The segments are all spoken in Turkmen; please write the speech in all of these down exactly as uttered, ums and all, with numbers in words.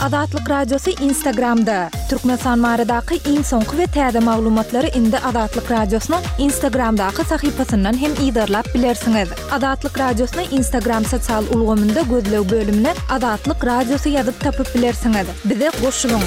Azatlyk Radiosy Instagramda. Türkmenistan baradaky iň soňky we täze maglumatlary indi Azatlyk Radiosynyň Instagramdaky sahypasyndan hem yzarlap bilersiňiz. Azatlyk Radiosyny Instagram sosial ulgamynda gözleg bölümine Azatlyk Radiosy ýazyp tapyp bilersiňiz. Bize goşulyň.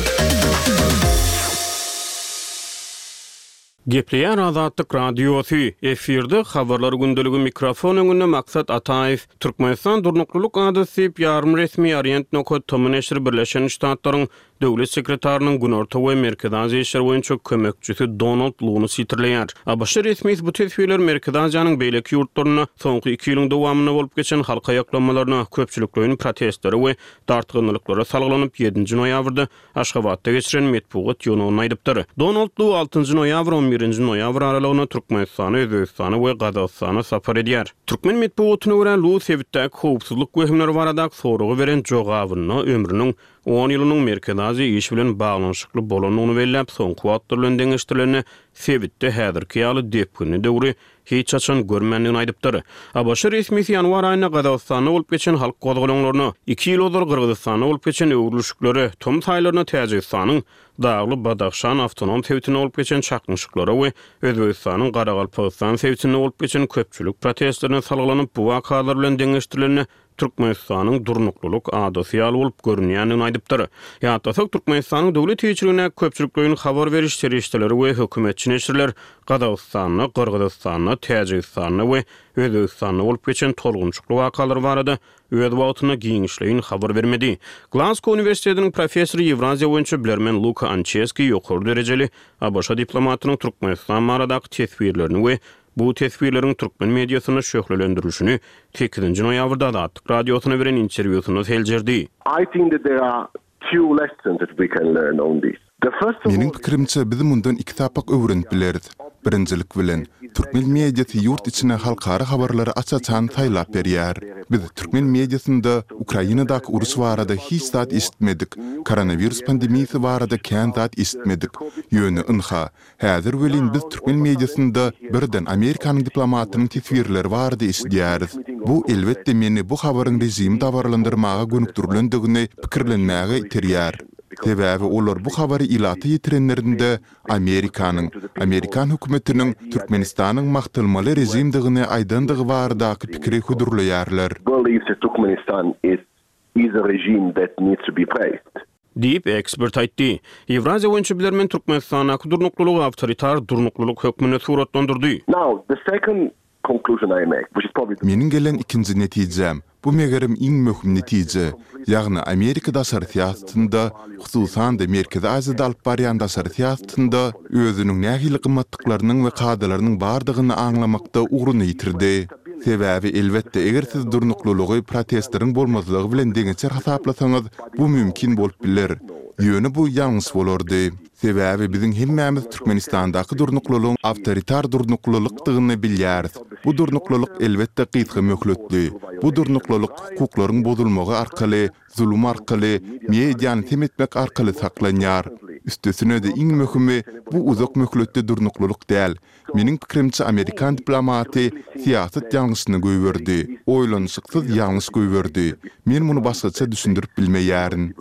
Gepleýär Azatlyk Radiosy, efirde habarlar gündeligi mikrofon öňünde Maksat Ataýew. Türkmenistan durnuklylyk adasy diýip ýarym resmi Orient nokat tom neşiri Birleşen Ştatlaryň Döwlet sekretarynyň Günorta we Merkezi Aziýa işleri boýunça kömekçisi Donald Luny sitirleýär. ABŞ resmisi bu teswirler Merkezi Aziýanyň beýleki ýurtlarynda soňky iki ýylyň dowamynda bolup geçen halk aýaklanmalaryna, köpçülikleýin protestlere we dartgynlyklara salgylanyp ýedinji noýabrda Aşgabatda geçiren metbugat ýygnagynda aýdypdyr. Donald Lu altynjy noýabr on birinji noýabr aralygynda Türkmenistana, Özbegistana we Gazagystana sapar edýär. Türkmen metbugatyna görä Lu sebitdäki howpsuzlyk wehimleri baradaky soragy beren jogabynda ömrüniň on ýylynyň Merkezi Aziýa işi bilen baglanyşykly bolandygyny belläp, soňky wagtlar bilen deňeşdirilende sebitde häzirki ýaly depginli döwri hiç haçan görmändigini aýdypdyr. ABŞ resmisi ýanwar aýynda Gazagystanda bolup geçen halk gozgalaňlaryna, iki ýyl ozal Gyrgyzystanda bolup geçen öwrülişiklere, tomus aýlarynda Täjigistanyň Dagly Badahşan awtonom sebitinde bolup geçen çaknyşyklara we Özbegistanyň Garagalpagystan sebitinde bolup geçen köpçülik protestlerine salgylanyp, bu wakalar bilen deňeşdirilende Türkmenistanyň durnuklylyk adasy ýaly bolup görünýändigini aýdypdyr. Ýatlasak, Türkmenistanyň döwlet eýeçiligindäki köpçülikleýin habar beriş serişdeleri we hökümetçi neşirler Gazagystanda, Gyrgyzystanda, Täjigistanda we Özbegistanda bolup geçen tolgunçukly wakalar barada öz wagtynda giňişleýin habar bermedi. Glasgow uniwersitetiniň professory Ýewraziýa boýunça bilermen Luka Ançeski ýokary derejeli ABŞ diplomatynyň Türkmenistan baradaky teswirlerini we bu teswirleriň türkmen mediasynda şöhlelendirilişini sekizinji noýabrda Azatlyk Radiosyna beren interwýusynda seljerdi. I think that there are two lessons that we can learn on this. The first of Meniň pikirimçe, biz mundan iki sapak öwrenip bileris. Birinjilik bilen, türkmen mediasy ýurt içine halkara habarlary aç-açan saýlap berýär. Biz türkmen mediasynda Ukrainadaky uruş barada hiç zat eşitmedik, koronawirus pandemiýasy barada kän zat eşitmedik. Ýöne ynha, häzir welin biz türkmen mediasynda birden Amerikanyň diplomatynyň teswirleri barada eşidýäris. Bu elbetde meni bu habaryň režimi dabaralandyrmaga gönükdirilendigini pikirlenmäge iterýär. Sebäbi olar bu habary ilata ýetirenlerinde Amerikanyň, Amerikan hökümetiniň Türkmenistanyň magtalmaly režimdigini aýdandygy baradaky pikiri hödürleýärler. Believes that Turkmenistan is, is a regime that needs to be praised. Diýip, ekspert aýtdy. Ýewraziýa boýunça bilermen Türkmenistandaky durnuklylygy awtoritar durnuklylyk hökmünde suratlandyrdy. Now, the second conclusion I make, which is probably the Meniň gelen ikinji netijem, bu megerem iň möhüm netije, ýagny Amerika daşary syýasatynda, hususan-da Merkezi Aziýada alyp barýan daşary syýasatynda özüniň nähili gymmatlyklarynyň we kadalarynyň bardygyny aňlamakda ugruny ýitirdi. Sebäbi elbetde eger siz durnuklylygy protestleriň bolmazlygy bilen deňeçer hasaplasaňyz, bu mümkin bolup biler. Ýöne bu ýalňyş bolardy. Sebäbi biziň hemmämiz Türkmenistandaky durnuklylygyň awtoritar durnuklylykdygyny bilýäris. Bu durnuklylyk elbetde gysga möhletli. Bu durnuklylyk hukuklaryň bozulmagy arkaly, zulum arkaly, mediany sem etmek arkaly saklanýar. Üstesine-de iň möhümi bu uzak möhletli durnuklylyk däl. Meniň pikirimçe Amerikan diplomaty syýasat ýalňyşyny goýberdi. Oýlanyşyksyz ýalňyş goýberdi. Men muny başgaça düşündirip bilmeýärin.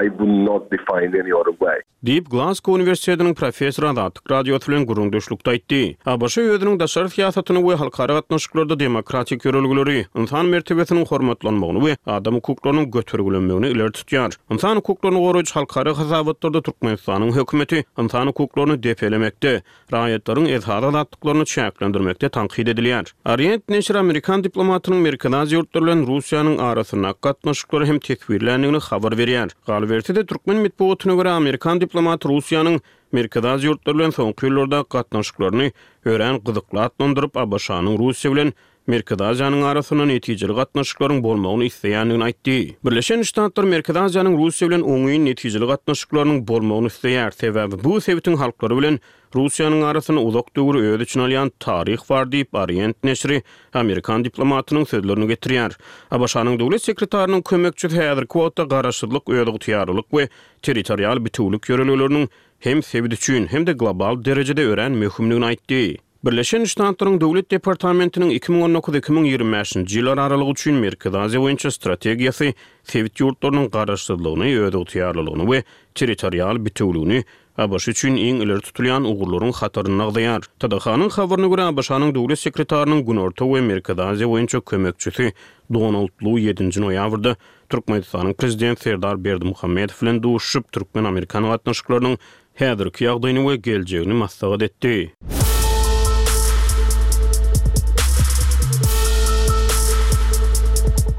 I would not define any other way. Diýip, Glasgow uniwersitetiniň professory Azatlyk Radiosy bilen gürrüňdeşlikde aýtdy. ABŞ özüniň daşary syýasatyny we halkara gatnaşyklarda demokratik ýörelgeleri, ynsan mertebesiniň hormatlanmagyny we adam hukuklarynyň götergilenmegini ileri tutýar. Ynsan hukuklaryny goraýjy halkara hasabatlarda Türkmenistanyň hökümeti ynsan hukuklaryny depelemekde, raýatlaryň esasy azatlyklaryny çäklendirmekde tankyt edilýär. Orient neşiri Amerikan diplomatynyň Merkezi Aziýa ýurtlary bilen Russiýanyň arasyndaky gatnaşyklary hem teswirländigini habar berýär. Galyberse-de türkmen metbugatyna görä Amerikan diplomaty Russiýanyň Merkezi Aziýa ýurtlary bilen soňky ýyllarda gatnaşyklaryny örän gyzykly atlandyryp, ABŞ-nyň Russiýa bilen Merkezi Aziýanyň arasynda netijeli gatnaşyklaryň bolmagyny isleýändigini aýtdy. Birleşen Ştatlar Merkezi Aziýanyň Russiýa bilen oňyn netijeli gatnaşyklarynyň bolmagyny isleýär. Sebäbi bu sebitiň halklary bilen Russiýanyň arasynda uzak döwri öz içine alýan taryh bar diýip Orient neşiri Amerikan diplomatynyň sözlerini getirýär. ABŞ-nyň döwlet sekretarynyň kömekçisi häzirki wagtda garaşsyzlyk, özygtyýarlylyk we territorial bitewülik ýörelgeleriniň hem sebit üçin, hem-de global derejede örän möhümdigini aýtdy. Birleşen Ştatlaryň Döwlet departamentiniň iki müň on dokuz iki müň ýigrimi bäşinji ýyllar aralygy üçin Merkezi Aziýa boýunça strategiýasy sebit ýurtlarynyň garaşsyzlygyny, özygtyýarlylygyny we territorial bitewüligini ABŞ üçin iň ileri tutulýan ugurlaryň hatarynda agzaýar. T D H-nyň habaryna görä, A B Ş-nyň döwlet sekretarynyň Günorta we Merkezi Aziýa boýunça kömekçisi Donald Lu ýedinji noýabrda Türkmenistanyň prezidenti Serdar Berdimuhamedow bilen duşuşyp, türkmen-amerikan gatnaşyklarynyň häzirki ýagdaýyny we geljegini maslahat etdi.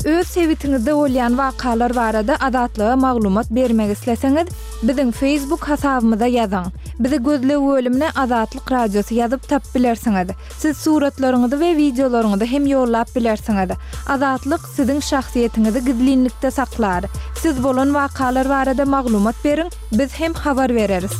Öz sebitiňizde bolýan wakalar barada Azatlyga maglumat bermek isleseňiz, biziň Facebook hasabymyza ýazyň. Bizi gözleg bölümine Azatlyk Radiosy ýazyp tapyp bilersiňiz. Siz suratlaryňyzy we wideolaryňyzy hem ýollap bilersiňiz. Azatlyk siziň şahsyýetiňizi gizlinlikde saklar. Siz bolan wakalar barada maglumat beriň, biz hem habar bereris.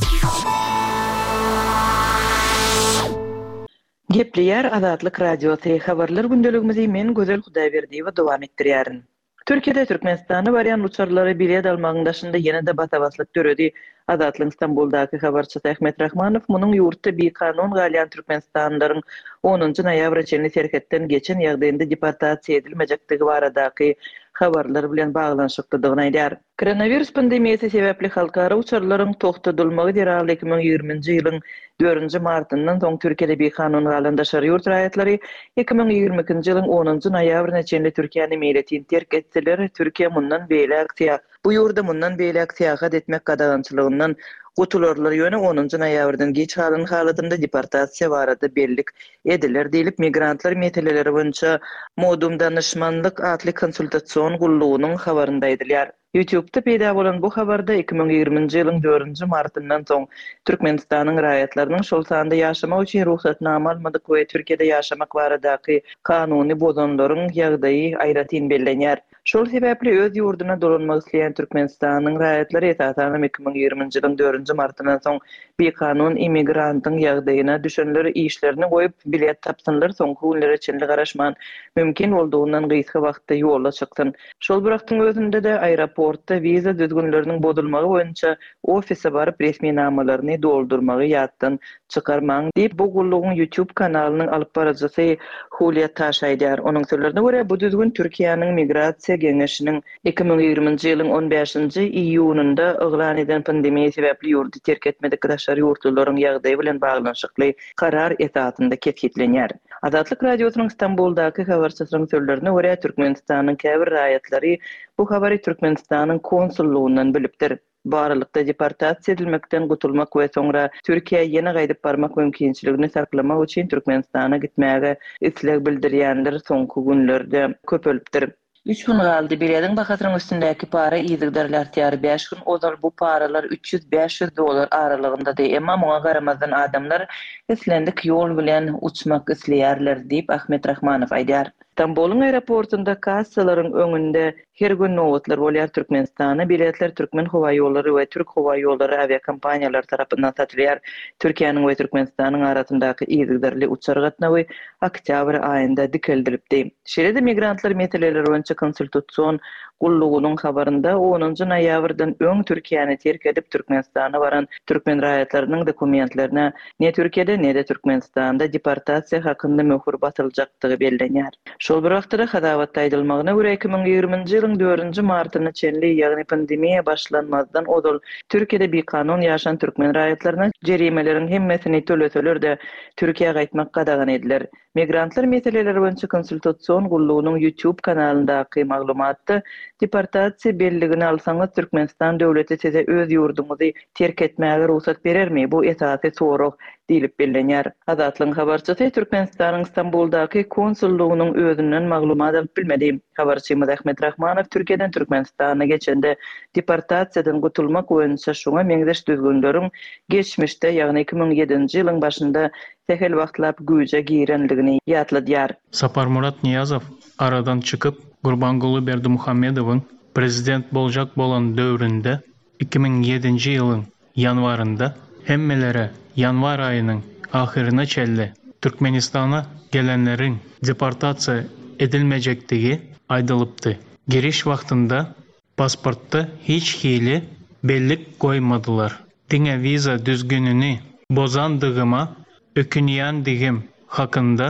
Gepleýär Azatlyk Radiosy, habarlar gündeligimizi men Gözel Hudaýberdiýewa dowam etdirýärin. Türkiýede Türkmenistana barýan uçarlara bilet almagyň daşynda ýene-de basa-baslyk döredi. Azatlygyň Stambuldaky habarçysy Ahmet Rahmanow munuň ýurtda bikanun galýan türkmenistanlylaryň onunjy noýabra çenli serhetden geçen ýagdaýynda deportasiýa edilmejekdigi baradaky habarlar bilen baglanyşyklydygyny aýdýar. Koronawirus pandemiýasy sebäpli halkara uçarlaryň togtadylmagy zerarly iki müň ýigriminji ýylyň dördünji martyndan soň Türkiýede bikanun galan daşary ýurt raýatlary iki müň ýigrimi ikinji ýylyň onunjy noýabryna çenli Türkiýäni meýletin terk etseler, Türkiýe mundan beýläk syýa-, bu ýurda mundan beýläk syýahat etmek gadagançylygyndan gutularlar, ýöne onunjy noýabrdan geç galan halatynda deportasiýa barada bellik ediler diýlip, migrantlar meseleleri boýunça Modum Danyşmanlyk atly konsultasion gullugynyň habarynda aýdylýar. YouTube'da peýda bolan bu habarda iki müň ýigriminji ýylyň dördünji martyndan soň Türkmenistanyň raýatlarynyň, şol sanda ýaşamak üçin rugsatnama almadyk we Türkiýede ýaşamak baradaky kanuny bozanlaryň ýagdaýy aýratyn bellenýär. Şol sebäpli öz ýurduna dolanmak isleýän Türkmenistanyň raýatlary esasanam iki müň ýigriminji ýylyň dördünji martyndan soň bikanun immigrantyň ýagdaýyna düşenler işlerini goýup bilet tapsynlar, soňky günlere çenli garaşman mümkin boldugyndan gysga wagtda ýola çyksyn. Şol bir wagtyň özünde-de aeroportda wiza düzgünleriniň bozulmagy boýunça ofise baryp resminamalaryny doldurmagy ýatdan çykarmaň diýip, bu gullugyň YouTube kanalynyň alyp baryjysy Hulya Taş aýdýar. Onuň sözlerine görä, bu düzgün Türkiýäniň Migrasiýa Geňeşiniň iki müň ýigriminji ýylyň on bäşinji iýunynda yglan eden pandemiýa sebäpli ýurdy terk etmedik daşary ýurtlularyň ýagdaýy bilen baglanyşykly karar esasynda kesgitlenýär. Azatlyk Radiosynyň Stambuldaky habarçysynyň sözlerine görä, Türkmenistanyň käbir raýatlary bu habary Türkmenistanyň konsullugyndan bilipdir. Bu aralykda deportasiýa edilmekden gutulmak we soňra Türkiýä ýene gaýdyp barmak mümkinçiligini saklamak üçin Türkmenistana gitmäge isleg bildirýänler soňky günlerde köpelipdir. Üç gün galdy, bilediň bahasynyň üstündäki para yzygiderli artýar. Bäş gün ozal bu paralar üç ýüz bäş ýüz dollar aralygyndady. Emma muňa garamazdan adamlar islendik ýol bilen uçmak isleýärler diýip Ahmet Rahmanow aýdýar. Stambulyň aeroportunda kassalaryň öňünde her gün nobatlar bolýar. Türkmenistana biletler Türkmen howa ýollary we Türk howa ýollary awiakompaniýalary tarapyndan satylýar. Türkiýäniň we Türkmenistanyň arasyndaky yzygiderli uçar gatnawy oktýabr aýynda dikeldilipdi. Şeýle-de migrantlar meseleleri boýunça konsultasion gullugynyň habarynda onunjy noýabrdan öň Türkiýäni terk edip Türkmenistana baran türkmen raýatlarynyň dokumentlerine ne Türkiýede ne-de Türkmenistanda deportasiýa hakynda möhür basyljakdygy bellenýär. Şol bir wagtda hasabatda aýdylmagyna görä iki müň ýigriminji ýylyň dördünji martyna çenli, ýagny pandemiýa başlanmazdan ozal Türkiýede bikanun ýaşan türkmen raýatlaryna jerimeleriň hemmesini töleseler-de Türkiýä gaýtmak gadagan ediler. Migrantlar meseleleri boýunça konsultasion gullugynyň YouTube kanalyndaky maglumatda deportasiýa belligini alsaňyz Türkmenistan döwleti size öz ýurduňyzy terk etmäge rugsat berermi? Bu esasy sorag diýlip bellenýär. Azatlygyň habarçysy Türkmenistanyň Stambuldaky konsullugynyň özünden maglumat alyp bilmedi. Habarçymyz Ahmet Rahmanow Türkiýeden Türkmenistana geçende deportasiýadan gutulmak boýunça şoňa meňzeş düzgünleriň geçmişde, ýagny iki müň ýedinji ýylyň başynda sähel wagtlap güýje girenligini ýatladýar. Saparmurat Niýazow aradan çykyp, Gurbanguly Berdimuhamedowyň prezident boljak bolan döwründe iki müň ýedinji ýylyň ýanwarynda hemmelere ýanwar aýynyň ahyryna çenli Türkmenistana gelenleriň deportasiýa edilmejekdigi aýdylypdy. Giriş wagtynda pasportda hiç hili bellik goýmadylar. Diňe wiza düzgünini bozandygyma ökünýändigim hakynda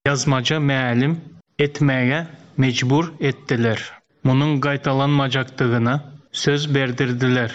ýazmaça mälim etmäge mejbur etdiler. Munuň gaýtalanmajakdygyna söz berdirdiler.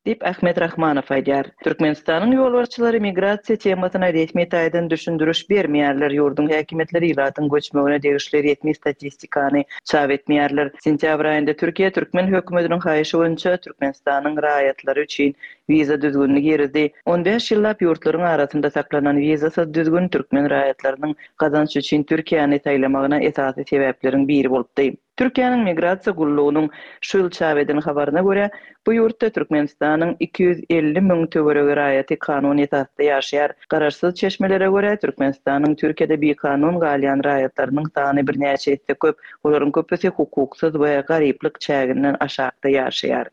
Diýip, Ahmet Rahmanow aýdýar. Türkmenistanyň ýolbaşçylary migrasiýa temasyna resmi taýdan düşündiriş bermeýärler, ýurduň häkimiýetleri ilatyň göçmegine degişli resmi statistikany çap etmeýärler. Sentýabr aýynda Türkiýe türkmen hökümetiniň haýyşy boýunça Türkmenistanyň raýatlary üçin wiza düzgünini girizdi. On bäş ýyllap ýurtlaryň arasynda saklanan wizasyz düzgün türkmen raýatlarynyň gazanç üçin Türkiýäni saýlamagyna esasy sebäpleriň biri bolupdy. Türkiýäniň Migrasiýa gullugynyň şu ýyl çap eden habaryna görä, bu ýurtda Türkmenistanyň iki ýüz elli müň töweregi raýaty kanun esasda ýaşaýar. Garaşsyz çeşmelere görä, Türkmenistanyň Türkiýede bikanun galýan raýatlarynyň sany birnäçe esse köp, olaryň köpüsi hukuksyz we garyplyk çäginden aşakda ýaşaýar.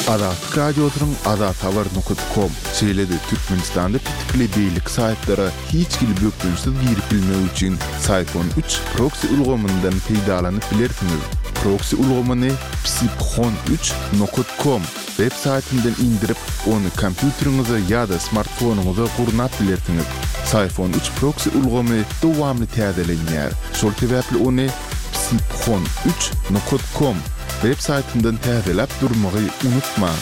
Azatlyk Radiosynyň azathabar nokat kom, şeýle-de Türkmenistanda petikli beýleki saýtlara hiç hili bökdençsiz girip bilmek üçin Syphon üç proksi ulgamyndan peýdalanyp bilersiňiz. Proksi ulgamyny psiphon üç nokat kom web saýtyndan indirip, ony kompýuteriňize ýa-da smartfonyňyza gurnap bilersiňiz. Syphon üç proksi ulgamy dowamly täzelenýär. Şol sebäpli ony psiphon üç nokat kom web saýtyndan täzeläp durmagy unutmaň.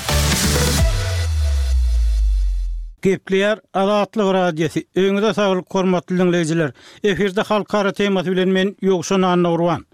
Gepleýär Azatlyk Radiosy. Öňüňize saglyk, hormatly diňleýjiler. Efirde halkara temasy bilen men Ýowşan Annagurban.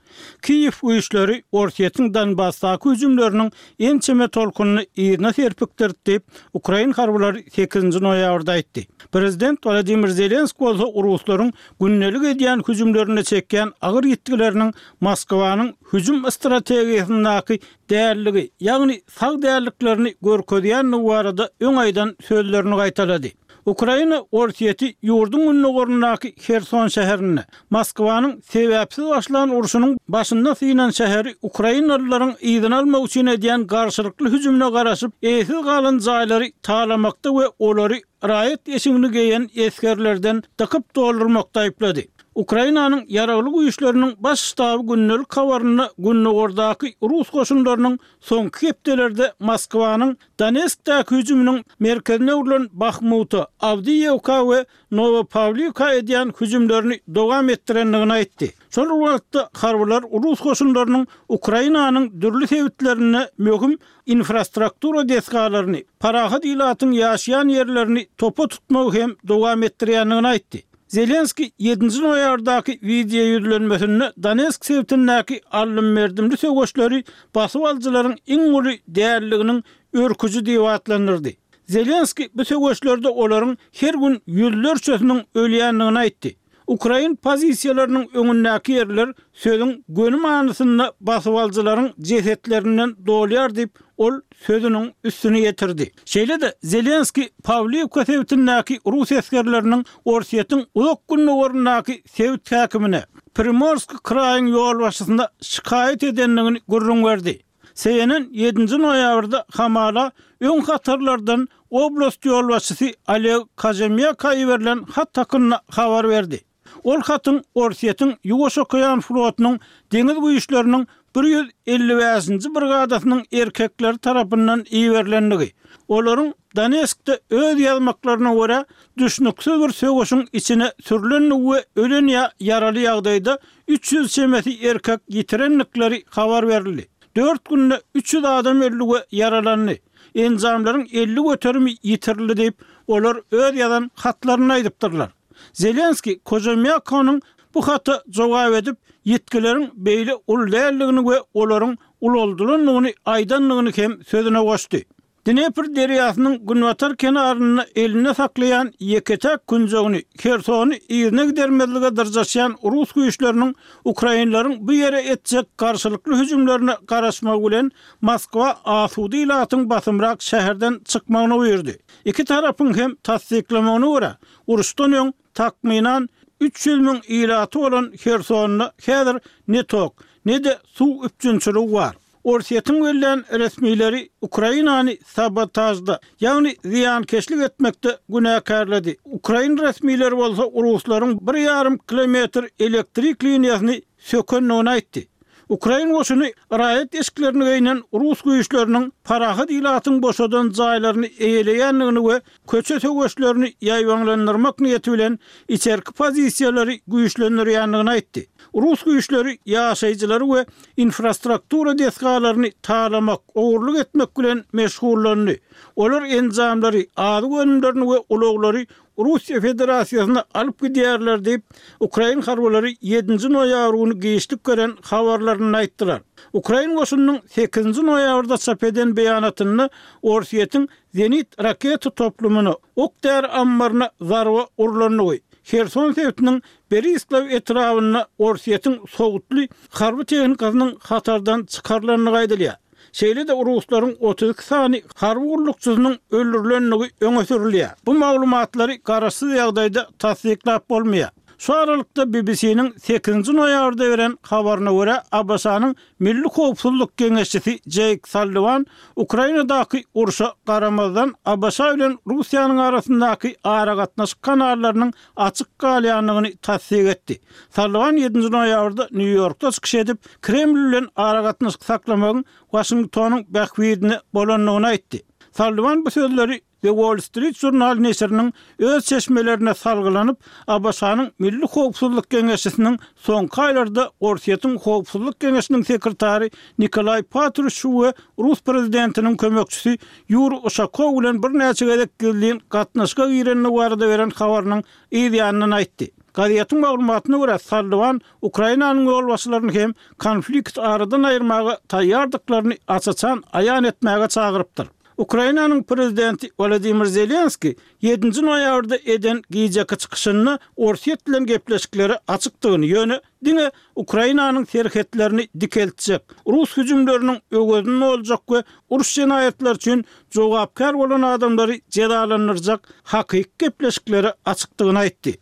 Kiýew güýçleri Orsýetiň Donbasdaky hüjümleriniň ençeme tolkunyny yzyna serpikdirdi diýip, ukrain harbylary sekizinji noýabrda aýtdy. Prezident Wladimir Zelenskiý bolsa ruslaryň gündelik edýän hüjümlerinde çekýän agyr ýitgileriniň Moskwanyň hüjüm strategiýasyndaky dälligi, ýagny sag dälliklerini görkezýändigi barada öň aýdan sözlerini gaýtalady. Ukraina Orsýeti ýurduň gündogaryndaky Herson şäherinde Moskwanyň sebäpsiz başlan urşunyň başynda synan şäheri ukrainalylaryň yzyny almak üçin edýän garşylykly hüjümine garaşyp, eýesiz galan jaýlary talamakda we olary raýat eşigini geýen esgerlerden dykyp doldurmakda aýyplady. Ukrainanyň ýaragly güýçleriniň baş ştaby gündelik habarynda gündogardaky rus goşunlarynyň soňky hepdelerde Moskwanyň Donetskdäki hüjüminiň merkezine öwrülen Bahmuta, Awdiýewka we Nowopawliwka edýän hüjümlerini dowam etdirendigini aýtdy. Şol wagtda harbylar rus goşunlarynyň Ukrainanyň dürli sebitlerinde möhüm infrastruktura desgalaryny, parahat ilatyň ýaşaýan ýerlerini topa tutmagy hem dowam etdirýändigini aýtdy. Zelenskiý ýedinji noýabrdaky wideo ýüzlenmesinde Donetsk sebitindäki alym-merdimli söweşleri basyp alyjylaryň iň uly dälliginiň örküji diýip atlandyrdy. Zelenskiý bu söweşlerde olaryň her gün ýüzlerçesiniň ölýändigini aýtdy. Ukrain pozisiýalarynyň öňündäki ýerler sözüň göni manysynda basyp alyjylaryň jesetlerinden dolýar diýip, ol sözüniň üstüni ýetirdi. Şeýle-de Zelenskiý Pawliwka sebitindäki rus esgerleriniň Orsýetiň uzak gündogaryndaky sebit häkimine, Primorsk kraýyň ýolbaşçysyna şikaýat edendigini gürrüň berdi. C N N ýedinji noýabrda hamala öň hatarlardan oblast ýolbaşçysy Oleg Kajemýaka iberilen hat hakynda habar berdi. Ol hatyň Orsýetiň Ýuwaş okean flotunyň deňiz güýçleriniň bir ýüz elli bäşinji brigadasynyň erkekleri tarapyndan iberilendigi, olaryň Donetskde öz ýazmaklaryna görä düşnüksiz bir söweşiň içine sürülendigi we ölen ýa ýaraly ýagdaýda üç ýüz çemesi erkek ýitirendikleri habar berildi. Dört günde üç ýüz adam öldi we ýaralandy. Enjamlaryň elli göterimi ýitirildi diýip, olar öz ýazan hatlaryny aýdypdyrlar. Zelenskiý Kojemýakonyň bu hata jogap edip, ýitgileriň beýle uly däldigini we olaryň ulaldylandygyny aýdandygyny hem sözüne goşdy. Dnepr derýasynyň günbatar kenarynda elinde saklaýan ýeke-täk künjegini, Hersony yzyna gidermezlige dyrjaşýan rus güýçleriniň ukrainleriň bu ýere etjek garşylykly hüjümlerine garaşmagy bilen Moskwa asuda ilatyň basymrak şäherden çykmagyny buýurdy. Iki tarapyň hem tassyklamagyna görä, uruşdan öň takmynan üç ýüz müň ilaty bolan Hersonda häzir ne tok, ne-de suw üpjünçiligi bar. Orsýetiň bellän resmileri Ukrainany sabotajda, ýagny zyýankeşlik etmekde günäkärledi. Ukrain resmileri bolsa ruslaryň bir ýarym kilometr elektrik liniýasyny sökendigini aýtdy. Ukrain goşuny raýat eşiklerini geýnen rus güýçleriniň parahat ilatyň boşadan jaýlaryny eýeleýändigini we köçe söweşlerini ýaýbaňlandyrmak niýeti bilen içerki pozisiýalary güýçlendirýändigini aýtdy. Rus güýçleri ýaşaýjylary we infrastruktura desgalaryny talamak, ogurlyk etmek bilen meşgullandy. Olar enjamlary, azyk önümlerini we ulaglary Russiýa Federasiýasyna alyp gidýärler diýip, ukrain harbylary ýedinji noýabr güni giçlik beren habarlarynda aýtdylar. Ukrain goşunynyň sekizinji noýabrda çap eden beýanatynda Orsýetiň zenit raketa toplumyna, ok-däri ammaryna zarba urlandygy, Herson sebitiniň Berislaw etrabynda Orsýetiň sowutly harby tehnikasynyň hatardan çykarylandygy aýdylýar. Şeýle-de ruslaryň otuz iki sany harby gullukçysynyň öldürilendigi öňe sürülýär. Bu maglumatlary garaşsyz ýagdaýda tassyklap bolmaýar. Şu aralykda B B C-niň sekizinji noýabrda beren habaryna görä, A B Ş-nyň Milli howpsuzlyk geňeşçisi Jeýk Salliwan Ukrainadaky urşa garamazdan A B Ş bilen Russiýanyň arasyndaky aragatnaşyk kanallarynyň açyk galýandygyny tassyk etdi. Salliwan ýedinji noýabrda Nýu-Ýorkda çykyş edip, Kreml bilen aragatnaşyk saklamagyň Waşingtonyň bähbidine bolandygyny aýtdy. Salliwan bu sözleri The Wall Street Journal neşiriniň öz çeşmelerine salgylanyp, A B Ş-nyň Milli howpsuzlyk geňeşçisiniň soňky aýlarda Orsýetiň Howpsuzlyk geňeşiniň sekretary Nikolaý Patruşew we Rus prezidentiniň kömekçisi Ýuriý Uşakow bilen birnäçe gezek gizlin gatnaşyga girendigi barada beren habarynyň yz ýanyndan aýtdy. Gazetiň maglumatyna görä, Salliwan Ukrainanyň ýolbaşçylaryny hem konflikt aradan aýyrmaga taýýardyklaryny aç-açan aýan etmäge çagyrypdyr. Ukrainanyň prezidenti Wladimir Zelenski ýedinji noýabrda eden gijeki çykyşynda Orsýet bilen gepleşiklere açykdygyny, ýöne diňe Ukrainanyň serhetlerini dikeltjek, rus hüjümleriniň öwezini doljak we uruş jenaýatlary üçin jogapkär bolan adamlary jezalandyrjak hakyky gepleşiklere açykdygyny aýtdy.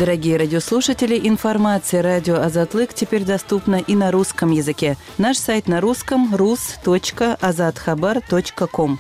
Дорогие радиослушатели, информация радио Азатлык теперь доступна и на русском языке. Наш сайт на русском rus.azathabar.com.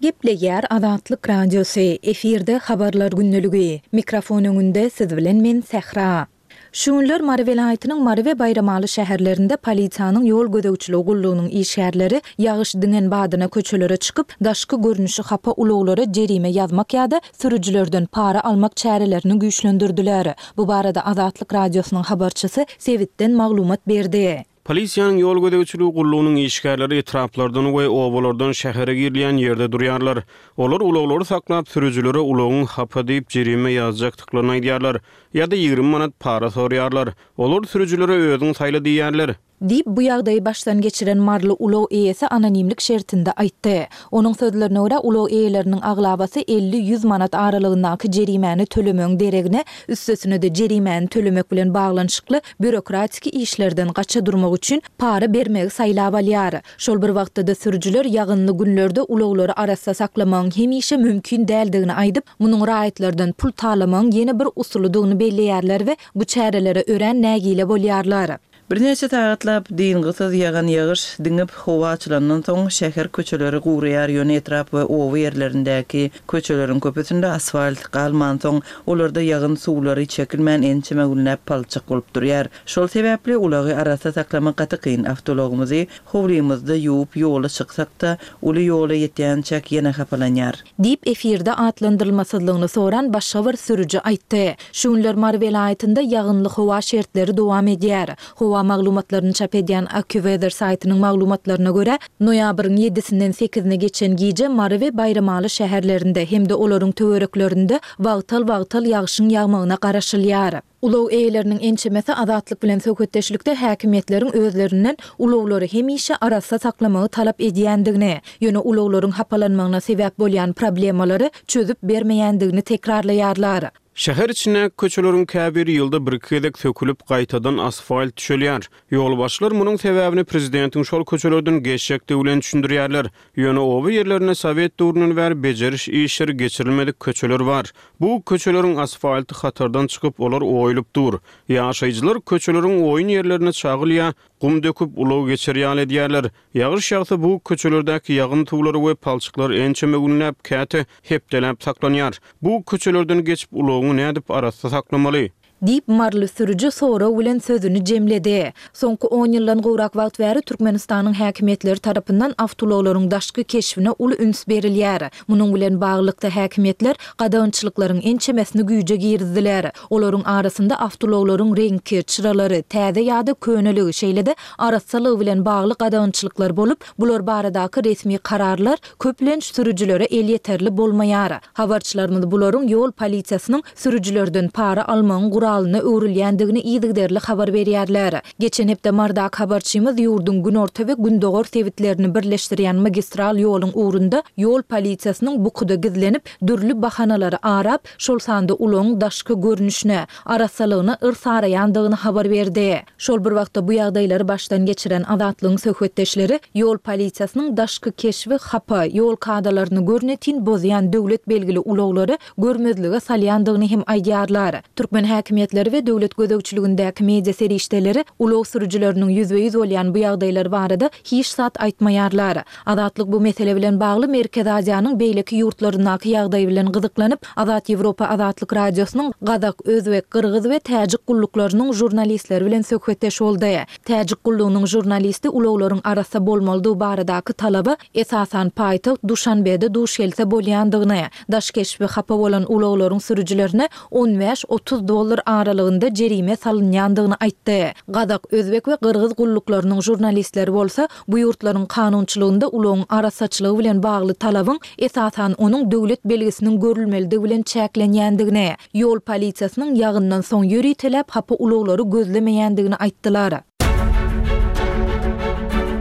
Gepleýär Azatlyk Radiosy, efirde habarlar gündeligi. Mikrofon öňünde siz bilen men Sähra. Şu günler Mary welaýatynyň Mary we Baýramaly şäherlerinde polisiýanyň ýol gözegçiligi gullugynyň işgärleri ýagyş diňen badyna köçelere çykyp, daşky görnüşi hapa ulaglara jerime ýazmak ýa-da sürüjilerden para almak çärelerini güýçlendirdiler. Bu barada Azatlyk Radiosynyň habarçysy sebitden maglumat berdi. Polisiýanyň ýol gözegçiligi gullugynyň işgärleri etraplardan we obalardan şähere girilýän ýerde durýarlar. Olar ulaglary saklap, sürüjilere ulagyň hapa diýip jerime ýazjakdyklaryny aýdýarlar ýa-da ýigrimi manat para soraýarlar. Olar sürüjilere özüň saýla diýýärler. Diýip, bu ýagdaýy başdan geçiren maryly ulag eýesi anonimlik şertinde aýtdy. Onuň sözlerine görä, ulag eýeleriniň aglabasy elli-ýüz manat aralygyndaky jerimäni tölemegiň deregine, üstesine-de jerimäni tölemek bilen baglanyşykly býurokratiki işlerden gaça durmak üçin para bermegi saýlap alýar. Şol bir wagtda-da sürüjiler ýagynly günlerde ulaglary arassa saklamagyň hemişe mümkin däldigini aýdyp, munuň raýatlardan pul talamagyň ýene bir usulydygyny belleýärler we bu çärelere örän nägile bolýarlar. Birnäçe sagatlap dyngysyz ýagan ýagyş diňip howa açylandan soň şäher köçeleri guraýar, ýöne etrap we oba ýerlerindäki köçeleriň köpüsinde asfalt galmansoň, olarda ýagyn suwlary çekilmän ençeme günläp palçyk bolup durýar. Şol sebäpli ulagy arassa saklamak gaty kyn. Awtoulagymyzy howlymyzda ýuwup ýola çyksak-da, uly ýola ýetýänçäk ýene hapalanýar. Diýip, efirde atlandyrylmasyzlygyny soran başga bir sürüji aýtdy. Şu günler Mary welaýatynda ýagynly howa şertleri dowam edýär. Howa maglumatlaryny çap edýän AccuWeather saýtynyň maglumatlaryna görä, noýabryň ýedisinden sekizine geçen gije Mary we Baýramaly şäherlerinde hem-de olaryň töwereklerinde wagtal-wagtal ýagşyň ýagmagyna garaşylýar. Ulag eýeleriniň ençemesi Azatlyk bilen söhbetdeşlikde häkimiýetleriň özlerinden ulaglary hemişe arassa saklamagy talap edýändigini, ýöne ulaglaryň hapalanmagyna sebäp bolýan problemalary çözüp bermeýändigini tekrarlaýarlar. Şäher içindäki köçeleriň käbiri ýylda bir-iki gezek sökülip, gaýtadan asfalt düşelýär. Ýolbaşçylar munuň sebäbini prezidentiň şol köçelerden geçjekdigi bilen düşündirýärler. Ýöne oba ýerlerinde sowet döwründen bäri bejeriş işleri geçirilmedik köçeler bar. Bu köçeleriň asfalty hatardan çykyp, olar oýulyp dur. Ýaşaýjylar köçeleriň oýun ýerlerine çagyl ýa gum döküp, ulag geçer ýaly edýärler. Ýagyş ýagsa bu köçelerdäki ýagyn suwlary we palçyklar ençeme günläp, käte hepdeläp saklanýar. Bu köçelerden geçip ulagyňy nädip arassa saklamaly? Diýip, maryly sürüji sorag bilen sözüni jemledi. Soňky on ýyldan gowrak wagt bäri Türkmenistanyň häkimiýetleri tarapyndan awtoulaglaryň daşky keşbine uly üns berilýär. Munuň bilen baglylykda, häkimiýetler gadagançylyklaryň ençemesini güýje girizdiler. Olaryň arasynda awtoulaglaryň reňki, çyralary, täze ýa-da köneligi, şeýle-de arassalygy bilen bagly gadagançylyklar bolup, bular baradaky resmi kararlar köplenç sürüjilere elýeterli bolmaýar. Habarçylarymyz bularyň ýol polisiýasynyň sürüjilerden para almagyň guralyna öwrülýändigini yzygiderli habar berýärler. Geçen hepde Marydaky habarçymyz ýurduň günorta we gündogar sebitlerini birleşdirýän magistral ýoluň ugrunda ýol polisiýasynyň bukuda gizlenip, dürli bahanalary arap, şol sanda ulagyň daşky görnüşine, arassalygyna yrsaraýandygyny habar berdi. Şol bir wagtda bu ýagdaýlary başdan geçiren Azatlygyň söhbetdeşleri ýol polisiýasynyň daşky keşbi hapa, ýol kadalaryny görnetin bozýan döwlet belgili ulaglary görmezlige salýandygyny hem aýdýarlar. Türkmen häkimiýetleri we döwlet gözegçiligindäki media serişdeleri ulag sürüjileriniň ýüzbe-ýüz bolýan bu ýagdaýlar barada hiç zat aýtmaýarlar. Azatlyk bu mesele bilen bagly Merkezi Aziýanyň beýleki ýurtlaryndaky ýagdaý bilen gyzyklanyp, Azat Ýewropa Azatlyk Radiosynyň gazak, özbek, gyrgyz we täjik gulluklarynyň žurnalistleri bilen söhbetdeş boldy. Täjik gullugynyň žurnalisti ulaglaryň arassa bolmalydygy baradaky talaba esasan paýtagt Duşanbede duş gelse bolýandygyny, daş keşbi hapa bolan ulaglaryň sürüjilerine on bäş-otuz dollar aralygynda jerime salynýandygyny aýtdy. Gazak, özbek we gyrgyz gulluklarynyň žurnalistleri bolsa bu ýurtlaryň kanunçylygynda ulagyň arassaçylygy bilen bagly talabyň esasan onuň döwlet belgisiniň görülmelidigi bilen çäklenýändigini, ýol polisiýasynyň ýagyndan soň ýöriteläp hapa ulaglary gözlemeýändigini aýtdylar.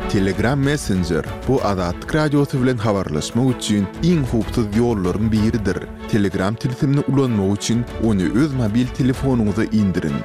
Telegram Messenger bu Azatlyk Radiosy bilen habarlaşmak üçin iň howpsuz ýollaryň biridir. Telegram tilsimini ulanmak üçin ony öz mobil telefonyňyza indiriň.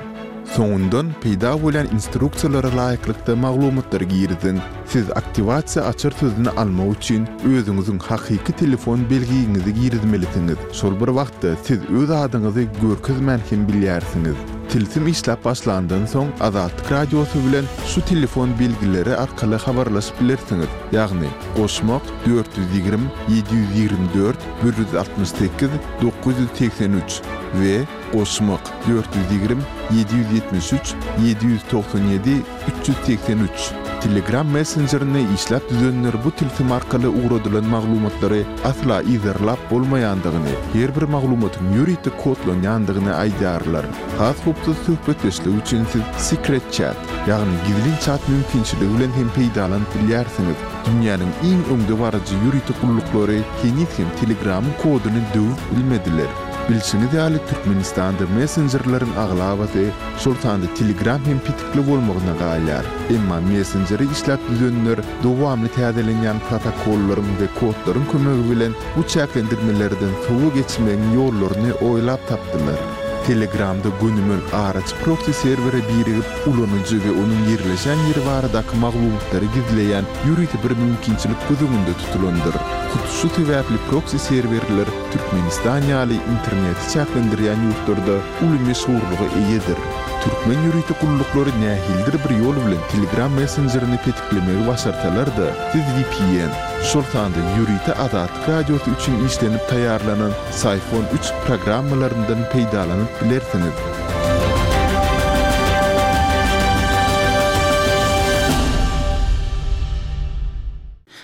Soňundan peýda bolýan instruksiýalara laýyklykda maglumatlary giriziň. Siz aktiwasiýa açar sözüni almak üçin özüňiziň hakyky telefon belgiňizi girizmelisiňiz. Şol bir wagtda siz öz adyňyzy görkezmän hem bilýärsiňiz. Tilsim işläp başlandan soň Azatlyk Radiosy bilen şu telefon belgileri arkaly habarlaşyp bilersiňiz. Ýagny goşmak dört ýüz ýigrimi, ýedi ýüz ýigrimi dört, bir ýüz altmyş sekiz, dokuz ýüz segsen üç we goşmak dört ýüz ýigrimi, ýedi ýüz ýetmiş üç, ýedi ýüz togsan ýedi, üç ýüz segsen üç. Telegram messenjerini işläp düzenler bu tilsim arkaly ugradylan maglumatlary asla yzarlap bolmaýandygyny, her bir maglumatyň ýörite kodlanýandygyny aýdýarlar. Has howpsuz söhbetdeşlik üçin siz Secret Chat, ýagny gizlin chat mümkinçiligi bilen hem peýdalanyp bilýärsiňiz. Dünýäniň iň öňdebaryjy ýörite gulluklary heniz hem Telegramyň koduny döwüp bilmediler. Bilşiňiz ýaly Türkmenistanda messenjerleriň aglabasy, şol sanda Telegram hem petikli bolmagyna galýar. Emma messenjeri işläp düzenler dowamly täzelenýän protokollaryň we kodlaryň kömegi bilen bu çäklendirmelerden sowa geçmegiň ýollaryny oýlap tapdylar. Telegramda gönümel araçy proxy serwere birigip, ulanyjy we onuň ýerleşen ýeri baradaky maglumatlary gizleýän ýörite bir mümkinçilik göz öňünde tutulandyr. Hut şu sebäpli proxy serwerler Türkmenistan ýaly interneti çäklendirýän ýurtlarda uly meşhurlyga eýedir. Türkmen ýörite gulluklary nähilidir bir ýol bilen Telegram messenjerini petiklemegi başarsalar-da, siz V P N, şol sanda ýörite Azatlyk Radiosy üçin işlenip taýýarlanan Psiphon üç programmalaryndan peýdalanyp bilersiňiz.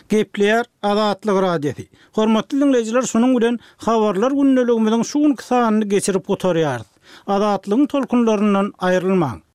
Gepleýär Azatlyk Radiosy. Hormatly dinleýjiler, şunuň bilen habarlar gündeligimiziň şu günki sanyny geçirip gutarýarys. Azatlygyň tolkunlaryndan aýrylmaň.